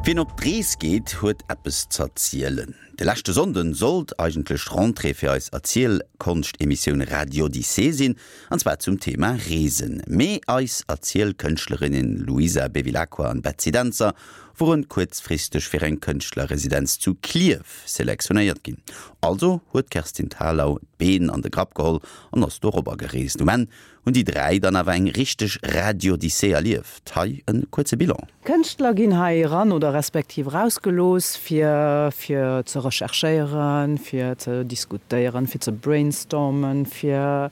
Wien op d'Rees geet, huet eppes z'erzielen. De leschte Sonnden sollt eigentlech d'Rentrée fir eis Erzielkonscht-Emissioun Radiodyssee sinn, an zwar zum Thema Reesen. Mee eis Erzielkënschtlerinnen Luisa Bevilacqua an Betsy Dentzer woren kuerzfristeg fir eng Kënschtlerresidenz zu Klierf selektionéiert ginn. Also huet d'Kerstin Thalau d'Been an de Grapp geholl an ass dorobber gereest. Um Enn hunn déi 3 dann awer eng richteg Radiodyssee erlieft. Hei en kuerze Bilan. Kënschtler ginn hei eran oder respektiv erausgelooss fir fir ze recherchéieren, fir ze diskutéieren, fir ze brainstormen, fir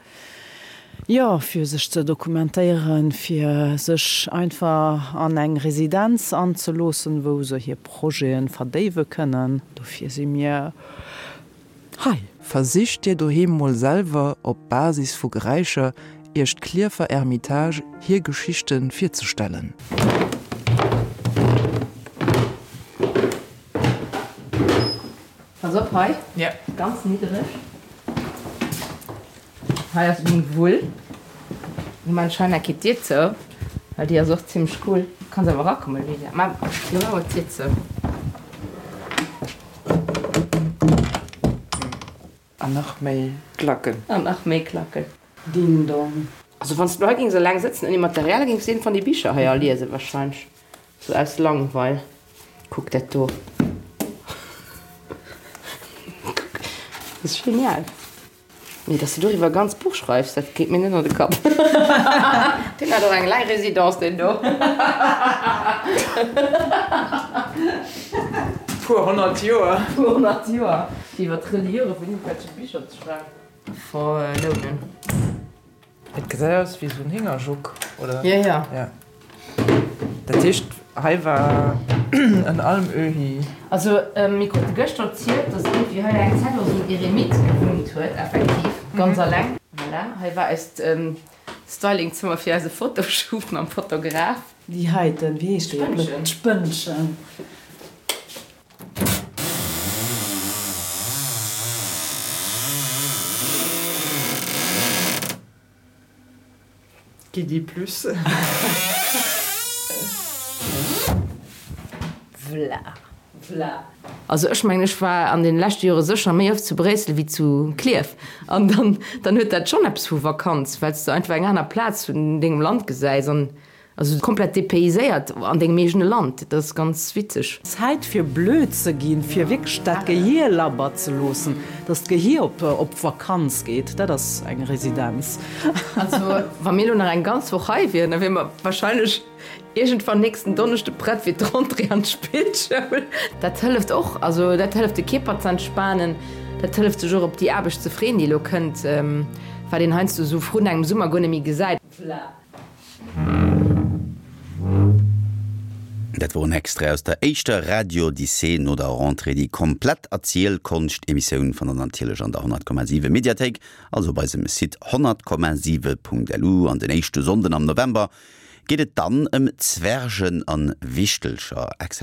jo fir sech ze dokumentéieren, fir sech einfach an eng Residenz anzeloossen, wou se hir Projete verdéiwe kënnen. Dofir si mir hei. Versicht dir doheem mol selwer op Basis vu Geräischer iech d'Klierfer Ermitage hir Geschichte virzestellen. Pass op hei, ganz niddereg. Hei ass meng Wull. Lo maan ech hei nach d'Dier zou, well déi ass och zimlech cool. Kanns awer erakommen, Luisa. Mä lo maan mer d'Dier zou. An nach méi Klacken. An nach méi Klacken. Ding dong. Also wanns du hei gings eleng sëtzen ouni Material, gings du eent van déi Bicher hei all liesen wahrscheinlech. Sou aus Langweil. Kuck dat do. Kuck, dat ass genial. Mee dass du doriwwer e ganzt Buch schreifs, dat geet mir net an de Kapp. Deen hat och eng laang Résidence, deen do. Puer 100 Joer. Puer 100 Joer, fir iwwer d'Reliure vun iergendwelche Bicher ze schreiwen. Verlounen. Et gesäit aus wéi esou en Héngerjuck, oder? Jo, jo. Ja. Dat heescht, hei war en Almöhi. Also, mir krute gëschter erzielt, dass iergendwéi hei eng Zäit och esou en Eremit gewunnt huet, effektiv, ganz alleng. Voilà, hei war eist Stylingzëmmer fir eise Fotoshoot mam Fotograf. Déi heiten, wéi heescht déi? D'Spënnchen. D'Spënnchen. Qui dit plus? Vla. Vla. Also ech mengen, ech war an den leschte Jore sécher méi oft zu Bréissel wéi zu Klierf. An dann, dann huet dat schonn eppes vu Vakanz, well s de einfach eng aner Plaz vun dengem Land gesäis an Also komplett dépayséiert an dengem eegene Land, dat ass ganz witzeg. Zäit fir blöd ze ginn, fir wierklech dat Gehier labber ze loossen, dass d'Gehier op op Vakanz geet, dat ass eng Residenz. Also wa mir elo nach eng ganz Woch hei wieren, da wiere mer wahrscheinlech iergendwann nächsten Donneschde prett fir d'Rentrée an d'Spillschoul. Dat hëlleft och, also dat hëlleft de Kierper ze entspanen, dat hëlleft sech och op déi Aarbecht ze freeën, déi elo kënnt, wat een heiansdo esou vrun engem Summer guer net méi gesäit. Dat wor en Extrait aus der éischter Radiodyssee no der Rentrée. Déi komplett Erzielkonscht-Emissioun fannt der natierlech an der 100,7 Mediathéik, also op eisem Site 100,7.lu. An den éischte Sonnden am November geet et dann ëm Zwergen an Wichtelcher. Excellent.